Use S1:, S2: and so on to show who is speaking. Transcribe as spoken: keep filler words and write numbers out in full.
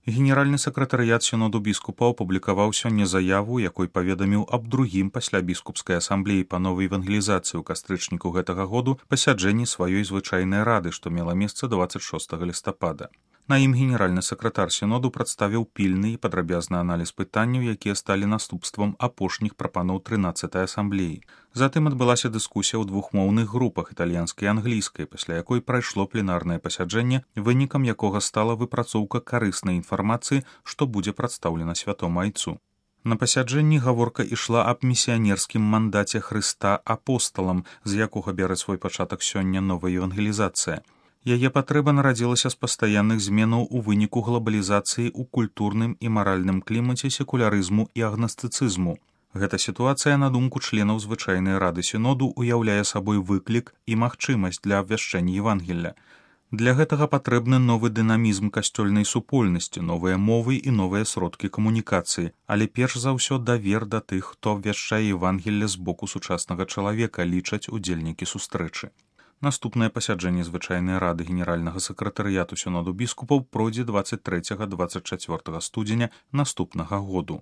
S1: Генеральны сакратарыят сіноду біскупаў апублікаваў сёння заяву, якой паведаміў аб другім пасля біскупскай асамблеі па новай евангелізацыі ў кастрычніку гэтага году пасяджэнні сваёй звычайнай рады, што мела месца дваццаць шостага лістапада. На ім генеральны сакратар сіноду прадставіў пільны і падрабязны аналіз пытанняў, якія сталі наступствам апошніх прапаноў трынаццатай асамблеі. Затым адбылася дыскусія ў двухмоўных групах італьянскай і англійскай, пасля якой прайшло пленарнае пасяджэнне, вынікам якога стала выпрацоўка карыснай інфармацыі, што будзе прадстаўлена святому айцу. На пасяджэнні гаворка ішла аб місіянерскім мандаце Хрыста апосталам, з якога бярэ свой пачатак сёння новая евангелізацыя. Яе патрэба нарадзілася з пастаянных зменаў у выніку глобалізацыі ў культурным і маральным клімаце секулярызму і агнастыцызму. Гэта сітуацыя, на думку членаў звычайнай рады сіноду, уяўляе сабой выклік і магчымасць для абвяшчэння Евангелля. Для гэтага патрэбны новы дынамізм касцёльнай супольнасці, новыя мовы і новыя сродкі камунікацыі, але перш за ўсё давер да тых, хто абвяшчае Евангелле з боку сучаснага чалавека, лічаць удзельнікі сустрэчы. Наступнае пасяджэнне звычайнай рады генеральнага сакратарыяту сіноду біскупаў пройдзе дваццаць трэцяга - дваццаць чацвёртага студзеня наступнага году.